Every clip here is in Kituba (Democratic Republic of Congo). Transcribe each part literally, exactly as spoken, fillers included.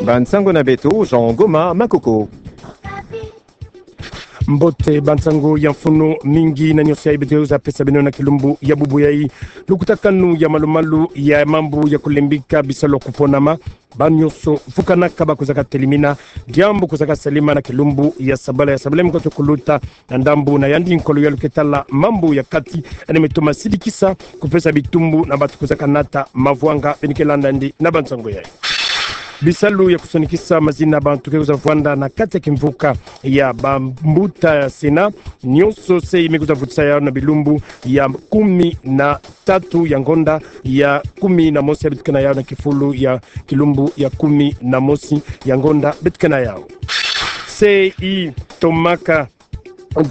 Bansango na beto, Jean Goma Makoko. Mbote bansango ya mfunu, mingi na nyonso yai beto kwiza pesa beno na kilumbu ya bubu yai. Lukutakanu ya malumalu ya mambu ya kulembika bisalu ya kuponama. Banyonso vukanaka bakwizaka telimina diambu kwizaka salama na kilumbu ya sabala, ya sabala mi koto kuluta, na ndambu na yandi nkolo ya luketala mambu ya kati, yandi me toma sidikisa kupesa bitumbu na bantu kwizaka nata mavwanga. Beno ke landa yandi na bansango yai. Bisalu ya kusonikisa mazina bantu ke kwiza vwanda na kati ya kimvuka ya bambuta ya Sénat, nyonso se me kwiza vutisa yau na bilumbu ya kumi na tatu ya ngonda ya kumi na mosi ya beto ke na yau, na kifulu ya kilumbu ya kumi na mosi ya ngonda beto ke na yau. Se i tomaka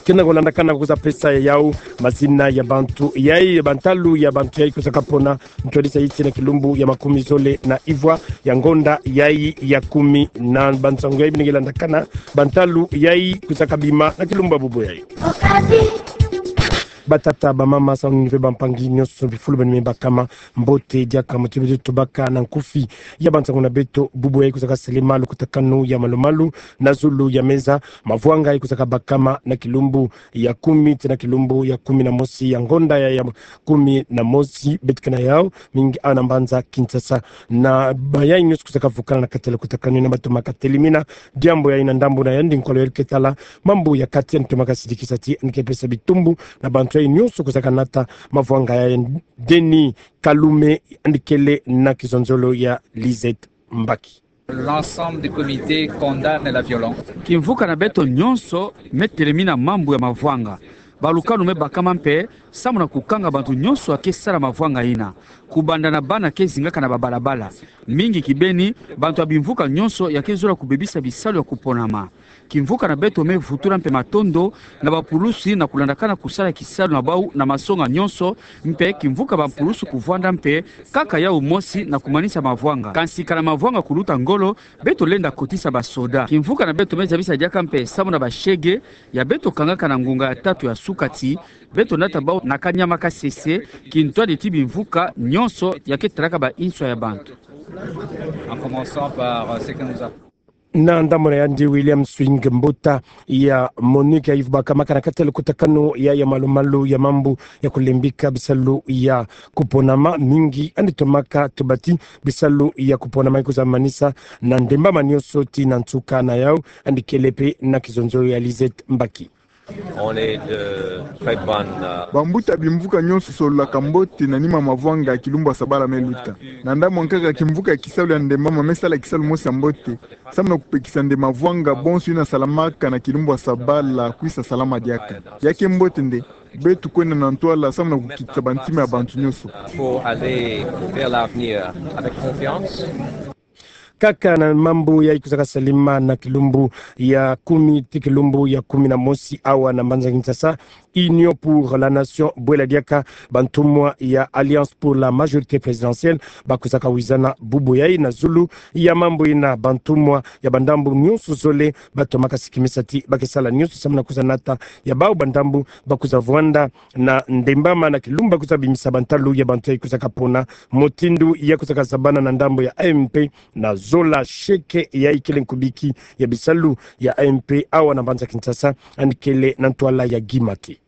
kena kolandakana kwiza pesa yau mazina ya bantu yai, bantalu ya bantu yai kwizaka pona ntwadisa yiti na kilumbu ya makumi zole na ivwa ya ngonda yai ya kumi. Na bansango yai beno ke landakana, bantalu yai kwizaka bima na kilumbu ya bubu yai. Batata, bamama, samu ni ve bampangi nyonso, bifulu beno me bakama, mbote diaka. Mbote beto tobaka na nkufi ya bansango na beto bubu yai kwizaka salama. Lukutakanu ya malumalu na zulu ya meza, mavwanga yai kwizaka bakama na kilumbu ya kumi tii na kilumbu ya kumi na mosi ya ngonda ya, ya kumi na mosi beto ke na yau, mingi awa na mbanza Kinshasa. Na mayai nyonso kwizaka vukana na kati ya lukutakanu yina batomaka telimina diambu yai na ndambu na yandi nkolo ya luketala mambu ya kati, yandi tomaka sidikisa ti yandi ke pesa bitumbu na bantu yai nyonso kwizaka nata mavwanga yai. Denis Kalume yandi kele na kizonzolo ya Lisette Mbaki. L'ensemble du comité condamne la violence. Kimvuka na beto nyonso me telemina mambu ya mavwanga. Balukanu me bakama mpe samu na kukanga bantu nyonso ya ke sala mavwanga yina, kubanda na bana ke zingaka na babalabala, mingi kibeni bantu ya bimvuka nyonso ya ke zola kubebisa bisalu ya kuponama. Kimvuka na beto me vutula mpe matondo na bapulusi na kulandakana kusala kisalu na bau na masonga nyonso, mpe kimvuka bapulusi kuvwanda mpe kaka yau mosi na kumanisa mavwanga. Kansi kana mavwanga kuluta ngolo, beto lenda kotisa basoda. Kimvuka na beto me zabisa diaka mpe samu na bashege ya beto kangaka na ngunga ya tatu ya suka ti beto nata bau na kanyama kasese, kintwadi ti bimvuka nyonso ya ke talaka ba inswa ya bantu. En commençant par, euh, ce que nous avons Na ndambu na yandi William Swing, mbuta ya MONUC, ya ivu bakamaka na kati ya lukutakanu ya, ya malumalu ya mambu ya kulembika bisalu ya kuponama, mingi yandi tomaka tuba ti bisalu ya kuponama ikwiza manisa na ndembama nyonso tii na nsuka na yau. Yandi kele mpe na kizonzolo ya Lisette Mbaki. On est de très bonne, euh, Bambuta bimvuka nyonso sololaka mbote na nima mavwanga ya kilumbu ya sabala me luta. Na ndambu nkaka kimvuka ya kisalu ya ndembama me sala kisalu mosi ya mbote samu na kupekisa nde mavwanga bonso yina salamaka na kilumbu ya sabala kwisa salama diaka. Ya ke mbote nde beto kwenda na ntwala samu na kukitisa bantima ya bantu nyonso. Faut aller vers l'avenir avec confiance. Kaka na mambu yai kwizaka salama na kilumbu ya kumi tii kilumbu ya kumi na mosi awa na mbanza Kinshasa, Union pour la Nation, bwela diaka bantumwa ya Alliance pour la Majorité Présidentielle, bakwizaka wizana bubu yai na zulu ya mambu yina. Bantumwa ya bandambu nyonso zole batomaka sikimisa ti ba ke sala nyonso samu na kwiza nata ya bau bandambu bakwiza vwanda na ndembama na kilumbu bakwiza bimisa bantalu ya bantu yai kwizaka pona, mutindu ya kwizaka zabana na ndambu ya A M P, na zola sheke yai kele nkubiki ya bisalu ya A M P awa na mbanza Kinshasa, yandi kele na ntwala ya Guy Mathy.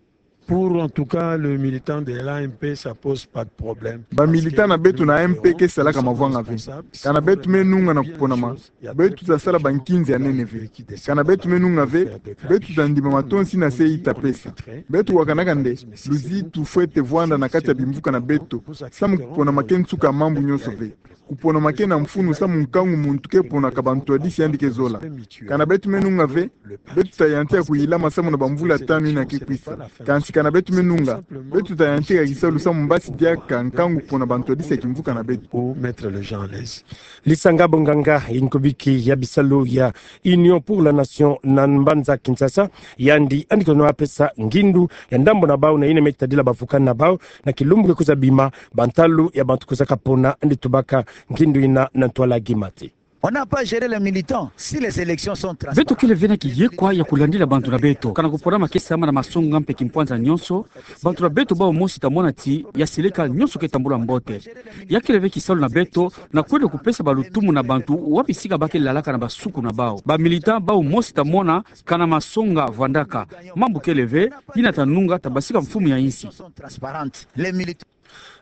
Pour, en tout cas, le militant de l'A M P, ça pose pas de problème. Bamilitant na beto na A M P ke salaka mavwanga ve. Kana beto me nunga na kuponama, beto ta sala bankinzi ya nene ve. Kana beto me nunga ve, beto ta ndima matonsi yina se i ta pesa. Beto wakanaka nde luzitu fwete vwanda na kati ya bimvuka na beto samu kuponama ke nsuka ya mambu nyonso ve. Kuponama ke na mfunu samu nkangu muntu ke ponaka bantwadisi yandi ke zola. Kana beto me nunga ve, beto ta yantika kuyilama samu na bamvula tanu yina ke kwisa. Kansi kana beto me nunga, beto ta yantika kisalu samu mbasi diaka nkangu pona bantwadisi ya kimvuka na beto. Pour mettre les gens à l'aise. Lisanga bonganga ya nkubiki ya bisalu ya Union pour la Nation na mbanza Kinshasa, yandi, yandi kono apesa ngindu ya ndambu na bau na yina me tadila bavukani na bau na kilumbu ke kwiza bima, bantalu ya bantu kwizaka pona, yandi tubaka ngindu yina na ntwala Guy Mathy. On n'a pas géré les militants. Si les élections sont transparentes. Beto kele ve na kiyekwa ya kulandila bantu na beto. Kana kupona makesa mana masonga mpe kimpwanza nyonso, bantu na beto bau mosi ta mona ti ya seleka nyonso ke tambula mbote. Ya kele ve kisalu na beto na kwenda kupesa balutumu na bantu wapi sika ba ke lalaka na basuku na bau. Ba militants bau mosi ta mona kana masonga vwandaka. Mambu kele ve, yina ta nunga ta basika mfumu ya insi.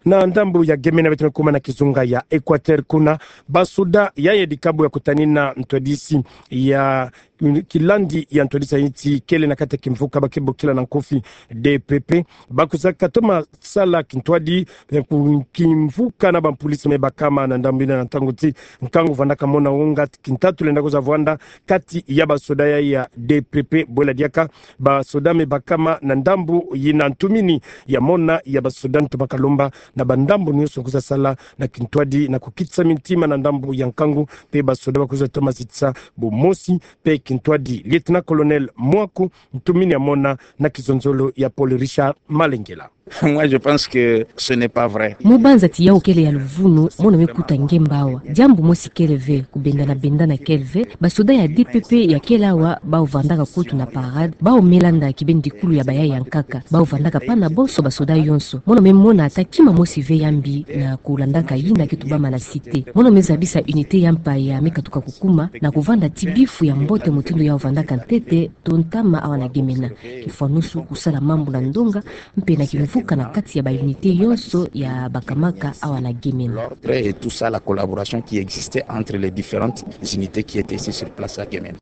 Na ndambu ya Gemena beto me kuma na kizunga ya Equateur kuna, basoda ya ya dikabu ya kutanina ntwadisi ya kilandi ya ntwadisi ya insi kele na kati ya kimvuka ba ke bokila na nkofi D P P, ba kwiza katoma sala kintwadi ya ku-, kimvuka na bampolisi me bakama na ndambu yina na ntangu ti nkangu vwandaka mona wonga kintatu lenda kwiza vwanda kati ya basoda ya ya D P P. Bwela diaka basoda me bakama na ndambu yina, ntumini ya mona ya basoda ntoma kalomba na bandambu nyonso kwiza sala na kintwadi na kukitisa mintima na ndambu ya nkangu, mpe basoda ba kwiza toma zitisa bumosi mpe kintwadi. Lieutenant-colonel Mwaku, ntumini ya mona na kizonzolo ya Paul Richard Malengela. Moi, je pense que ce n'est pas vrai. Mu banza ti yawu kele ya luvunu, mono me kuta ngemba awa. Diambu mosi kele ve, kubendana-bendana kele ve, basoda ya D P P ya kele awa, bau vandaka kutu na parade, bau me landa kibeni dikulu ya bayaya nkaka, bau vandaka pana bonso basoda yonso. Mono me mona ata kima mosi ve ya mbi na kulandaka yina ke tubama na cité. Mono me zabisa unité ya mpaya me katuka kukuma, na kuvanda ti bifu ya mbote mutindu yawu vandaka ntete, to ntama awa na Gemena. Kifwanusu kusala mambu na ndonga, mpe na kimvuka na kati ya ba unité yonso ya bakamaka awa na Gemena. L'ordre et tout ça, la collaboration qui existait entre les différentes unités qui étaient ici sur place à Gemena.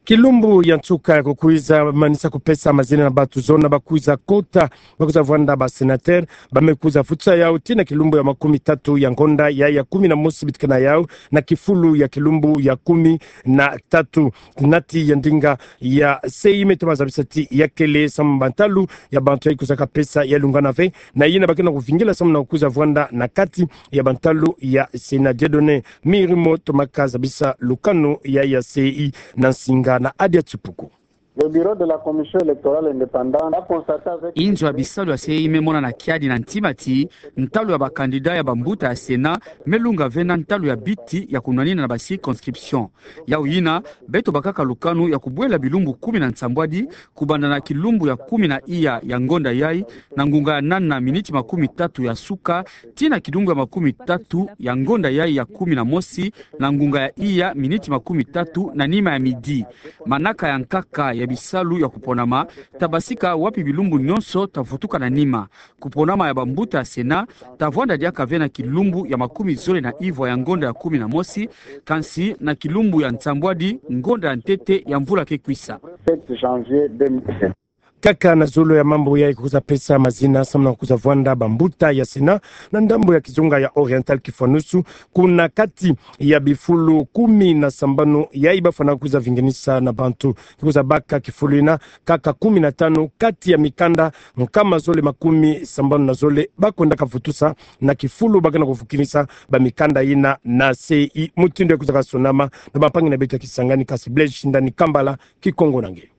Kilumbu ya nsuka ya kukwiza manisa kupesa mazina na bantu zona ba kwiza kota, ba kwiza vwanda ba sénateur, ba me kwiza futusa yawu tii na kilumbu ya makumi tatu ya ngonda ya, ya kumi na mosi bitika na yawu, na kifulu ya kilumbu ya kumi na tatu. Nati ya ndinga ya C E I me toma zabisa ti ya kele samu na bantalu ya bantu ya ikwizaka pesa ya lungana ve, na yina ba ke na kuvingila samu na kukwiza vwanda na kati ya bantalu ya Sénat. Dieudonné Mirimo tomaka zabisa lukanu ya, ya C E I na nsinga na Adia Tipuku. Le bureau de la Commission électorale indépendante a constaté avec... Inzo ya bisalu ya C E I me mona na kiadi na ntima ti ntalu ya ba candidats ya bambuta ya Sénat me lunga ve na ntalu ya biti ya kunwanina na ba circonscriptions. Yawu yina, beto bakaka lukanu ya kubwela bilumbu kumi na nsambwadi, kubanda na kilumbu ya kumi na iya ya ngonda yayi, na ngunga ya nana miniti makumi tatu ya suka, tii na kilumbu ya makumi tatu ya ngonda yayi ya kumi na mosi, na ngunga ya iya miniti makumi tatu na nima ya midi. Manaka ya nkaka ya bisalu ya kuponama ta basika wapi bilumbu nyonso ta vutuka na nima. Kuponama ya bambuta ya Sénat ta vwanda diaka ve na kilumbu ya makumi zole na ivwa ya ngonda ya kumi na mosi, kansi na kilumbu ya nsambwadi ngonda ya ntete ya mvula ke kwisa. Sept janvier deux mille vingt. Kaka na zolo ya mambu yayi kwiza pesa mazina samu na kwiza vwanda bambuta ya Sénat na ndambu ya kizunga ya Oriental, kifwanusu kuna kati ya bifulu kumi na sambanu yayi ba fwana kwiza vinginisa na bantu. Kwiza baka kifulu yina kaka kumi na tanu kati ya mikanda nkama zole makumi sambanu na zole ba kwendaka vutusa na kifulu ba ke na kuvukinisa bamikanda yina na C E I. Mutindu ya kwizaka sonama na bampangi na beto ya Kisangani, kasi Blaise Shindani Kambala, Kikongo na nge.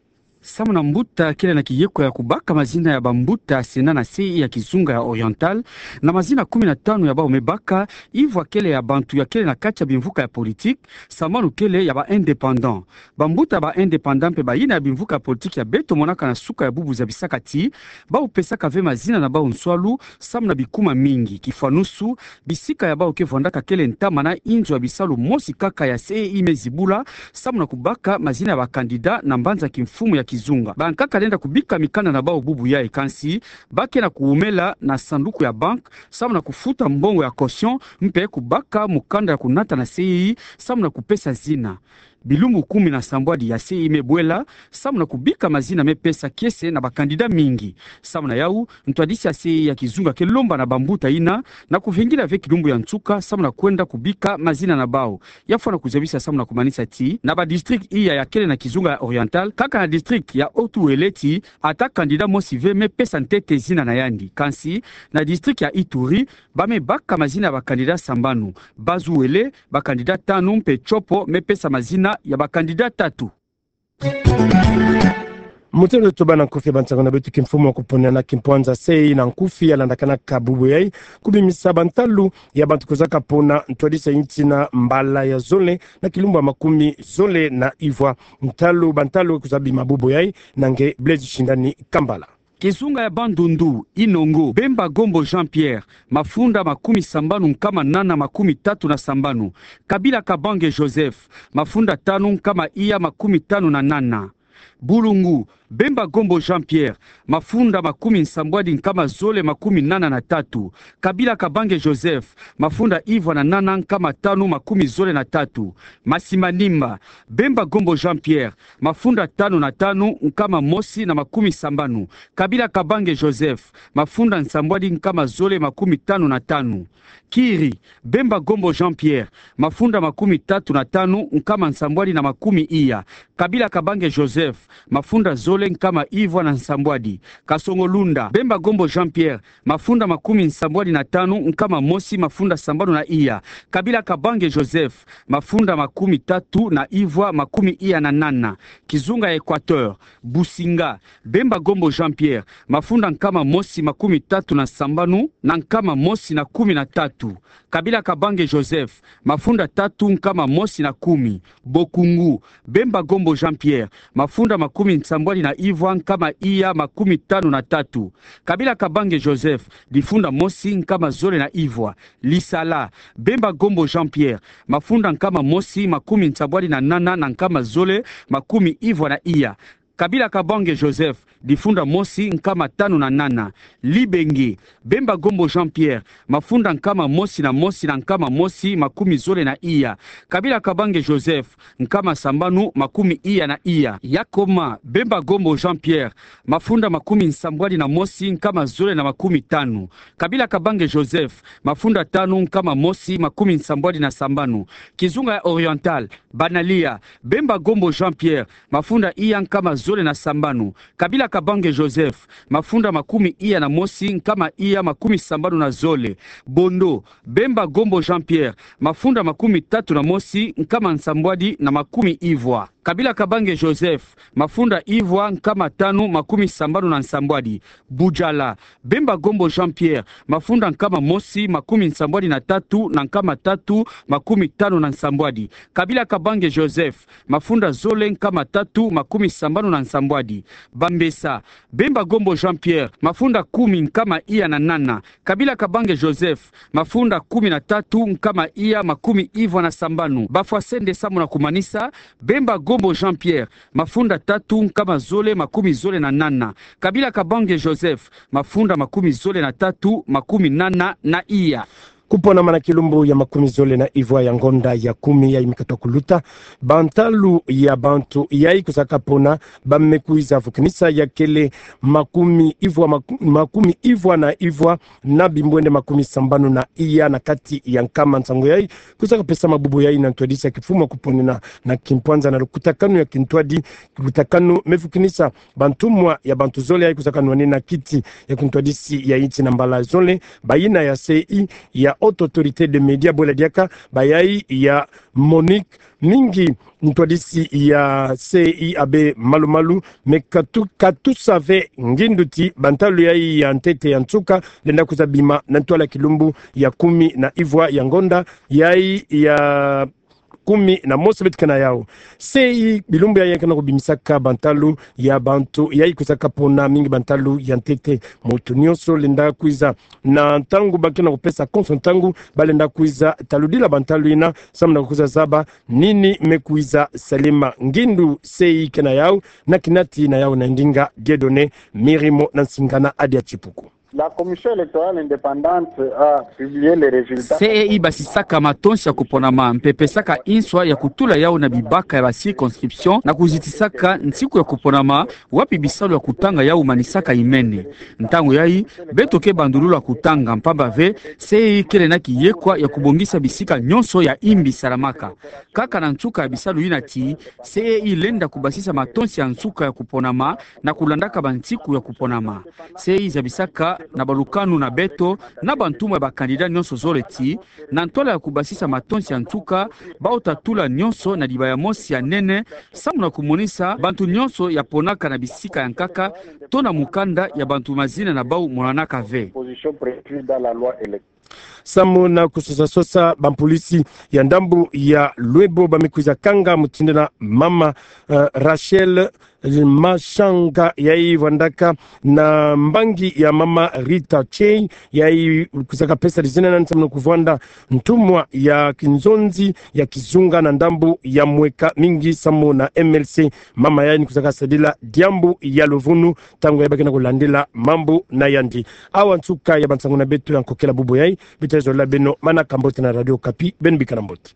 Samu na mbuta kele na kiyekwa ya kubaka mazina ya bambuta ya Sénat na C E I ya kizunga ya Oriental, na mazina kumi na tanu ya bau me baka, ivwa kele ya bantu ya kele na kati ya bimvuka ya politique, sambanu kele ya ba indépendants. Bambuta ba indépendants mpe bayina ya bimvuka ya politique ya beto monaka na suka ya bubu zabisaka ti bau pesaka ve mazina na bau nswalu samu na bikuma mingi. Kifwanusu, bisika ya bau ke vwandaka kele ntama na inzo ya bisalu mosi kaka ya C E I me zibula samu na kubaka mazina ya ba candidats na mbanza kimfumu ya kizunga. Bankaka lenda kubika mikanda na bau bubu yayi, kansi ba ke na kuwumela na sanduku ya banque samu na kufuta mbongo ya caution mpe kubaka mukanda ya kunata na C E I samu na kupesa zina. Bilumbu kumi na sambwadi ya C E I me bwela samu na kubika mazina me pesa kiese na ba candidats mingi. Samu na yawu, ntwadisi ya C E I ya kizunga ke lomba na bambuta yina na kuvingila ve kilumbu ya nsuka samu na kwenda kubika mazina na bau. Ya fwana kuzabisa samu na kumanisa ti na ba districts iya ya kele na kizunga ya Oriental, kaka na district ya Haut-Uele ti ata candidat mosi ve me pesa ntete zina na yandi. Kansi na district ya Ituri, ba me baka mazina ya ba candidats sambanu. Bas-Uele, ba candidats tanu, mpe Tshopo me pesa mazina ya ba candidats tatu. Mutendo toba na nkufi ya bansango na beto kimfumu ya kupona na kimpwanza C E I na nkufi ya landakanaka bubu yai, kubimisa bantalu ya bantu kozaka pona ntwadisi ya intina mbala ya zole na kilumbu ya makumi zole na ivwa. Ntalu, bantalu kozabima bubu yai na nge Blaise Shindani Kambala. Kizunga ya Bandundu, Inongo, Bemba Gombo Jean-Pierre, mafunda makumi sambanu nkama nana makumi tatu na sambanu. Kabila Kabange Joseph, mafunda tanu nkama iya makumi tanu na nana. Bulungu, Bemba Gombo Jean-Pierre, mafunda makumi nsambwadi nkama zole makumi nana na tatu. Kabila Kabange Joseph, mafunda ivwa na nana nkama tanu makumi zole na tatu. Masimanimba, Bemba Gombo Jean-Pierre, mafunda tanu na tanu nkama mosi na makumi sambanu. Kabila Kabange Joseph, mafunda nsambwadi nkama zole makumi tanu na tanu. Kiri, Bemba Gombo Jean-Pierre, mafunda makumi tatu na tanu nkama nsambwadi na makumi iya. Kabila Kabange Joseph, mafunda zole nkama ivwa na nsambwadi. Kasongo-Lunda, Bemba Gombo Jean-Pierre, mafunda makumi nsambwadi na tanu nkama mosi mafunda sambanu na iya. Kabila Kabange Joseph, mafunda makumi tatu na ivwa makumi iya na nana. Kizunga ya Equateur, Businga, Bemba Gombo Jean-Pierre, mafunda nkama mosi makumi tatu na sambanu na nkama mosi na kumi na tatu. Kabila Kabange Joseph, mafunda tatu nkama mosi na kumi. Bokungu, Bemba Gombo Jean-Pierre, mafunda makumi nsambwadi na ivwa nkama iya makumi tanu na tatu. Kabila Kabange Joseph, difunda mosi nkama zole na ivwa. Lisala, Bemba Gombo Jean-Pierre, mafunda nkama mosi makumi nsambwadi na nana na nkama zole makumi ivwa na iya. Kabila Kabange Joseph, difunda mosi nkama tanu na nana. Libenge, Bemba Gombo Jean-Pierre, mafunda nkama mosi na mosi na nkama mosi makumi zole na iya. Kabila Kabange Joseph, nkama sambanu makumi iya na iya. Yakoma, Bemba Gombo Jean-Pierre, mafunda makumi nsambwadi na mosi nkama zole na makumi tanu. Kabila Kabange Joseph, mafunda tanu nkama mosi makumi nsambwadi na sambanu. Kizunga ya Oriental, Banalia, Bemba Gombo Jean-Pierre, mafunda iya nkama zole na sambanu. Kabila Kabange Joseph, mafunda makumi iya na mosi nkama iya makumi sambanu na zole. Bondo, Bemba Gombo Jean-Pierre, mafunda makumi tatu na mosi nkama nsambwadi na makumi ivwa. Kabila Kabange Joseph, mafunda ivwa nkama tanu makumi sambanu na nsambwadi. Bujala, Bemba Gombo Jean-Pierre, mafunda nkama mosi makumi nsambwadi na tatu na nkama tatu makumi tanu na nsambwadi. Kabila Kabange Joseph, mafunda zole nkama tatu makumi sambanu na nsambwadi. Bambesa, Bemba Gombo Jean-Pierre, mafunda kumi nkama iya na nana. Kabila Kabange Joseph, mafunda kumi na tatu nkama iya makumi ivwa na sambanu. Bafwasende samu na kumanisa, Bemba Gombo Jean-Pierre, mafunda tatu nkama zole makumi zole na nana. Kabila Kabange Joseph, mafunda makumi zole na tatu makumi nana na iya. Kuponama na kilumbu ya makumi zole na ivwa ya ngonda ya kumi yai mi kata kuluta, bantalu ya bantu yai kozaka pona ba me kwiza vukinisa ya kele makumi ivwa, maku-, makumi ivwa na ivwa na bimbwende makumi sambanu na iya na kati ya nkama. Nsangu yai kozaka pesama bubu yai na ntwadisi ya kimfumu ya kuponena na kimpwanza na lukutakanu ya kintwadi, lukutakanu me vukinisa bantumwa ya bantu zole yai kozaka nwanina kiti ya kintwadisi ya inti na mbala zole, bayina ya C E I, ya Haute Autorité des Médias, bwela diaka bayai ya Monique, mingi ntwadisi ya C E I abe malu-malu, me katu-, katusa ve ngindu ti bantalu yai ya ntete ya nsuka lenda kwiza bima na ntwala kilumbu ya kumi na ivwa ya ngonda yai ya kumi na mosi beto ke na yau. C E I bilumbu yai ke na kubimisaka bantalu ya bantu yai kozaka pona, mingi bantalu ya ntete. Mutu nyonso lenda kwiza, na ntangu ba ke na kupesa konso ntangu, ba lenda kwiza taludila bantalu yina samu na kwiza zaba nini me kwiza salema. Ngindu C E I ke na yau, na kinati na yau na ndinga Dieudonné Mirimo na nsingana Adia Tipuku. La Commission électorale indépendante a publié les résultats. C E I basisaka matonsi ya kuponama, mpe pesaka inswa ya kutula yau na bibaka ya ba circonscription na kuzitisaka nsiku ya kuponama, wapi bisalu ya kutanga yau manisaka imene. Ntangu yai, beto ke bandulula kutanga, mpamba ve C E I kele na kiyekwa ya kubongisa bisika nyonso ya imbi salamaka. Kaka na nsuka ya bisalu yina ti, C E I lenda kubasisa matonsi ya nsuka ya kuponama na kulandaka bansiku ya kuponama. C E I zabisaka na balukanu na beto, na bantumwa ya ba candidat nyonso zoleti, na ntwala ya kubasisa matonsi ya nsuka, bau tatula nyonso na dibaya mosi ya nene, samu na kumonisa bantu nyonso ya ponaka na bisika ya nkaka, to na mukanda ya bantu mazina na bau monanaka ve. Samu na kusosasosa bampulisi ya ndambu ya Luebo ba me kwiza kanga mutindu na mama, eh, Rachel Mashanga yai vandaka na mbangi ya mama Rita Chei yai kwizaka pesa dizina nani samu na kuvwanda ntumwa ya kinzonzi ya kizunga na ndambu ya mweka mingi samu na M L C. Mama yai ni kwizaka sadila diambu ya luvunu ntangu yai ba ke na kulandila mambu na yandi. Awa nsuka ya bansangu na beto ya nkokela bubu yai, bita zolila beno manaka mbote na Radio Okapi, beno bikana mbote.